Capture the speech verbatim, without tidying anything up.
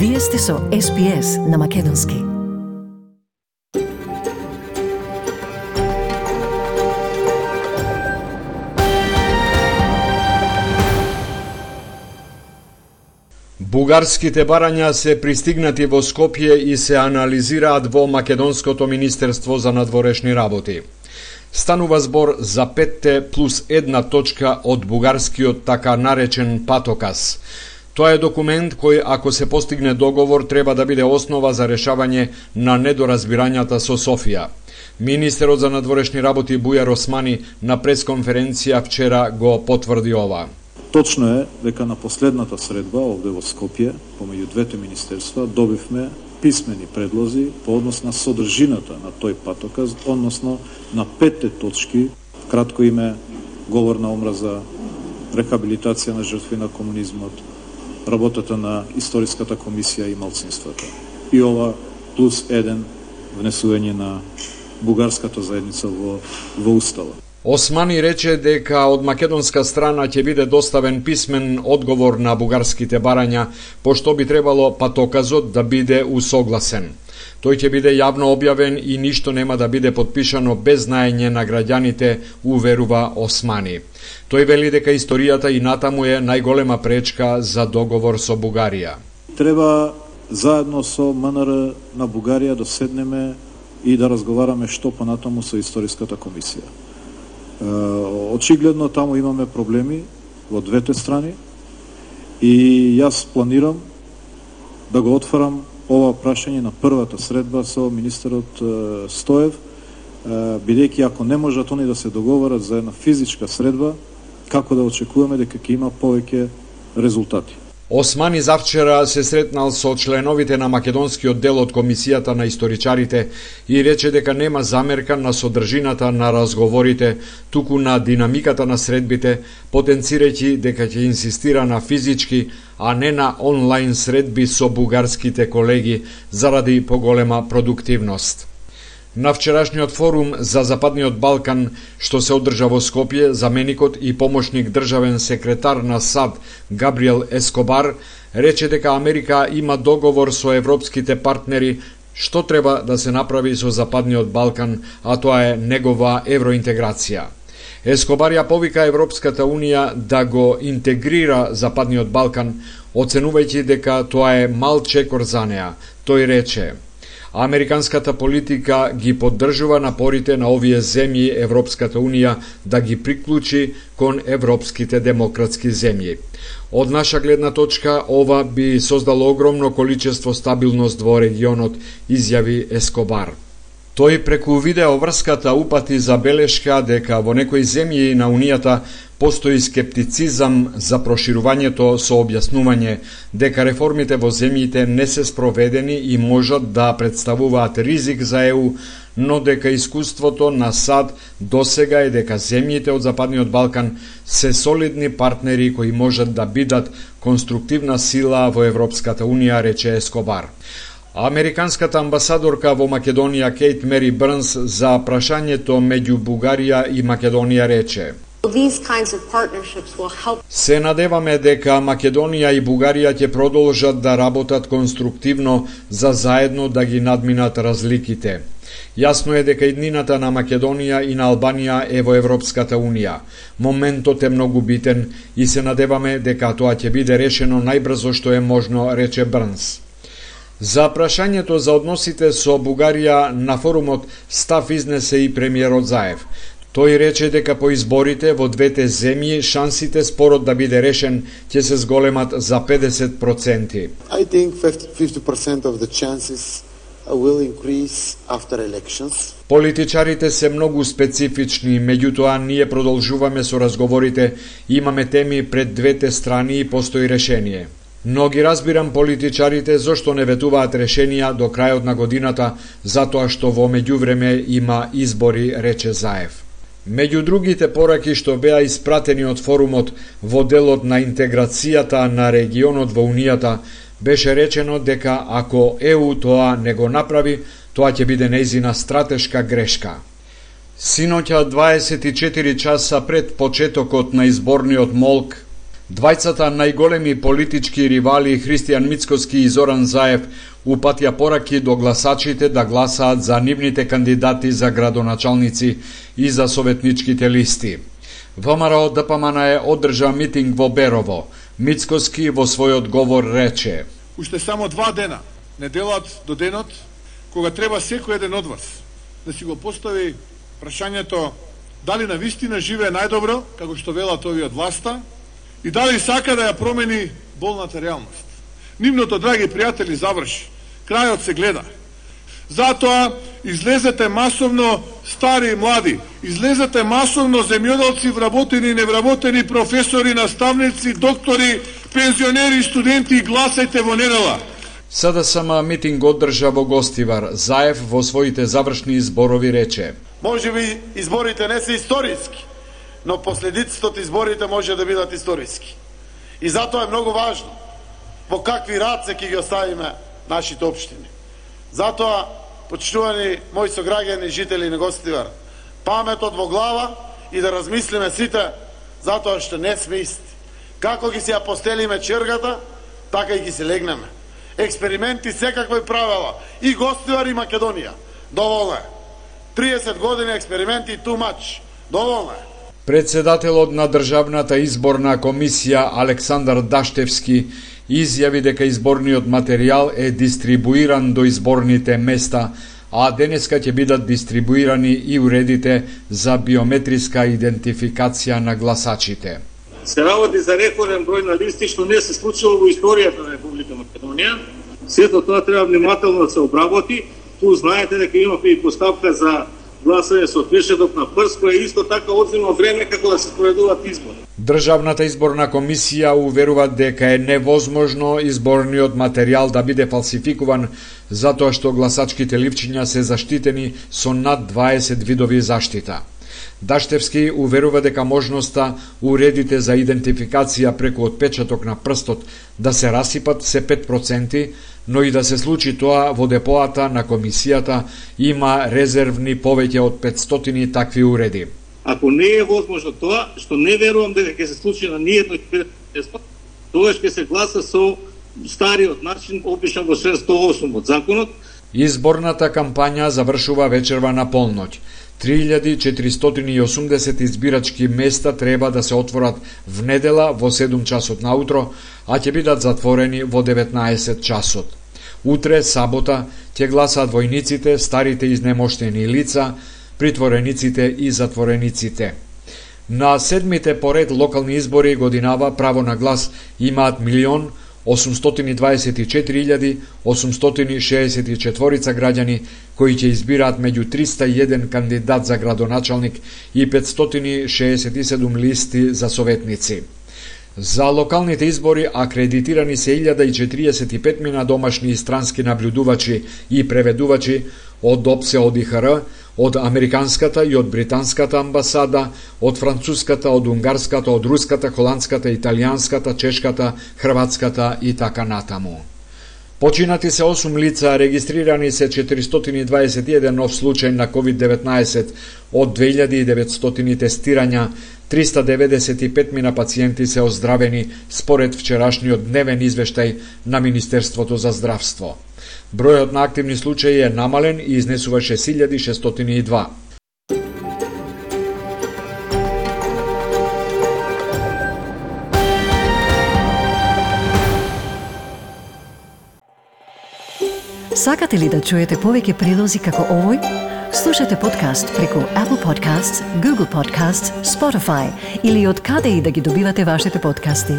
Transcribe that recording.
Вие сте со Ес Би Ес на Македонски. Бугарските барања се пристигнати во Скопје и се анализираат во Македонското Министерство за надворешни работи. Станува збор за петте плюс една точка од бугарскиот така наречен патоказ. Тоа е документ кој, ако се постигне договор, треба да биде основа за решавање на недоразбирањата со Софија. Министерот за надворешни работи Бујар Османи на пресконференција вчера го потврди ова. Точно е дека на последната средба овде во Скопје, помеѓу двете министерства, добивме писмени предлози по однос на содржината на тој патоказ, односно на петте точки, кратко име говор на омраза, рехабилитација на жртви на комунизмот, работата на Историската комисија и малцинствата. И ова плюс еден внесување на бугарската заедница во, во Устава. Османи рече дека од македонска страна ќе биде доставен писмен одговор на бугарските барања, пошто би требало патоказот да биде усогласен. Тој ќе биде јавно објавен и ништо нема да биде подпишано без знаење на граѓаните, уверува Османи. Тој вели дека историјата и натаму е најголема пречка за договор со Бугарија. Треба заедно со М Н Р на Бугарија да седнеме и да разговараме што понатаму со Историската комисија. Очигледно таму имаме проблеми во двете страни и јас планирам да го отварам ова прашање на првата средба со министерот Стоев, бидејќи ако не можат они да се договорат за една физичка средба, како да очекуваме дека ќе има повеќе резултати. Османи завчера се сретнал со членовите на македонскиот дел од Комисијата на историчарите и рече дека нема замерка на содржината на разговорите, туку на динамиката на средбите, потенцирајќи дека ќе инсистира на физички, а не на онлайн средби со бугарските колеги заради поголема продуктивност. На вчерашниот форум за Западниот Балкан, што се одржа во Скопје, заменикот и помошник државен секретар на САД Габриел Ескобар рече дека Америка има договор со европските партнери што треба да се направи со Западниот Балкан, а тоа е негова евроинтеграција. Ескобар ја повика Европската Унија да го интегрира Западниот Балкан, оценувајќи дека тоа е мал чекор за неа. Тој рече: Американската политика ги поддржува напорите на овие земји Европската Унија да ги приклучи кон европските демократски земји. Од наша гледна точка, ова би создало огромно количество стабилност во регионот, изјави Ескобар. Тој преку видеоврската упати забелешка дека во некои земји на Унијата постои скептицизам за проширувањето со објаснување дека реформите во земјите не се спроведени и можат да представуваат ризик за Е У, но дека искуството на САД досега е дека земјите од Западниот Балкан се солидни партнери кои можат да бидат конструктивна сила во Европската Унија, рече Ескобар. Американската амбасадорка во Македонија Кейт Мери Брнс за прашањето меѓу Бугарија и Македонија рече: Се надеваме дека Македонија и Бугарија ќе продолжат да работат конструктивно за заедно да ги надминат разликите. Јасно е дека иднината на Македонија и на Албанија е во Европската Унија. Моментот е многу битен и се надеваме дека тоа ќе биде решено најбрзо што е можно, рече Брнс. За прашањето за односите со Бугарија на форумот став изнесе и премиерот Заев. Тој рече дека по изборите во двете земји шансите спорот да биде решен ќе се зголемат за педесет проценти. I think fifty percent of the chances will increase after elections. Политичарите се многу специфични, меѓутоа ние продолжуваме со разговорите, имаме теми пред двете страни и постои решение. Но ги разбирам политичарите зошто не ветуваат решенија до крајот на годината, затоа што во меѓувреме има избори, рече Заев. Меѓу другите пораки што беа испратени од форумот во делот на интеграцијата на регионот во Унијата, беше речено дека ако Е У тоа не го направи, тоа ќе биде нејзина стратешка грешка. Синоќа дваесет и четири часа пред почетокот на изборниот молк, Двајцата најголеми политички ривали Христијан Мицкоски и Зоран Заев упатија пораки до гласачите да гласаат за нивните кандидати за градоначалници и за советничките листи. ВМРО ДПМН е одржа митинг во Берово. Мицкоски во свој одговор рече: Уште само два дена, неделат до денот, кога треба секој еден од вас да си го постави прашањето дали на вистина живее најдобро, како што велат овие од власта, и дали сака да ја промени болната реалност. Нивното, драги пријатели, заврши. Крајот се гледа. Затоа излезете масовно, стари и млади, излезете масовно земјоделци, вработени и невработени, професори, наставници, доктори, пензионери, студенти, и гласајте во недела. СДСМ митинг одржа во Гостивар. Заев во своите завршни изборови рече: Може би изборите не се историски, но последиците од изборите може да бидат историски. И затоа е многу важно во какви раце ќе ги оставиме нашите општини. Затоа, почитувани мои сограѓани, жители на Гостивар, паметот во глава и да размислиме сите, затоа што не сме исти. Како ги се ја постелиме чергата, така и ги се легнеме. Експерименти секакви правила, и Гостивар и Македонија. Доволно е. триесет години експерименти, too much. Доволно е. Председателот на Државната изборна комисија Александар Даштевски изјави дека изборниот материјал е дистрибуиран до изборните места, а денеска ќе бидат дистрибуирани и уредите за биометриска идентификација на гласачите. Се работи за рекорден број на листи, што не се случило во историјата на Република Македонија. Сето тоа треба внимателно да се обработи. Ту знаете дека имавме и поставка за гласање со пешедок на прст, кој е исто така одзема време како да се спроведуваат избори. Државната изборна комисија уверува дека е невозможно изборниот материјал да биде фалсификуван, затоа што гласачките ливчиња се заштитени со над дваесет видови заштита. Даштевски уверува дека можноста уредите за идентификација преку отпечаток на прстот да се расипат се пет проценти, но и да се случи тоа во депоата на комисијата има резервни повеќе од петстотини такви уреди. Ако не е возможно тоа, што не верувам дека ќе се случи на ниедно место, тоа ќе се гласа со стариот начин, опишан во член сто и осум од законот. Изборната кампања завршува вечерва на полноќ. три илјади четиристотини и осумдесет избирачки места треба да се отворат в недела во седум часот наутро, а ќе бидат затворени во деветнаесет часот. Утре, сабота, ќе гласаат војниците, старите изнемоштени лица, притворениците и затворениците. На седмите поред локални избори годинава право на глас имаат милион осумстотини дваесет и четири илјади осумстотини шеесет и четири граѓани кои ќе избираат меѓу триста и еден кандидат за градоначалник и петстотини шеесет и седум листи за советници. За локалните избори акредитирани се илјада и четириесет и пет мина домашни и странски наблюдувачи и преведувачи од ОПСЕ, од И Х Р, од Американската и од Британската амбасада, од Француската, од Унгарската, од Руската, Холандската, Италијанската, Чешката, Хрватската и така натаму. Починати се осум лица, регистрирани се четиристотини дваесет и еден нов случај на ковид деветнаесет од две илјади и деветстотини тестирања, триста деведесет и пет мина пациенти се оздравени според вчерашниот дневен извештај на Министерството за здравство. Бројот на активни случаи е намален и изнесува шест илјади шестстотини и два. Сакате ли да чуете повеќе прилози како овој? Слушате подкаст преку Apple Podcasts, Google Podcasts, Spotify или од каде и да ги добивате вашите подкасти.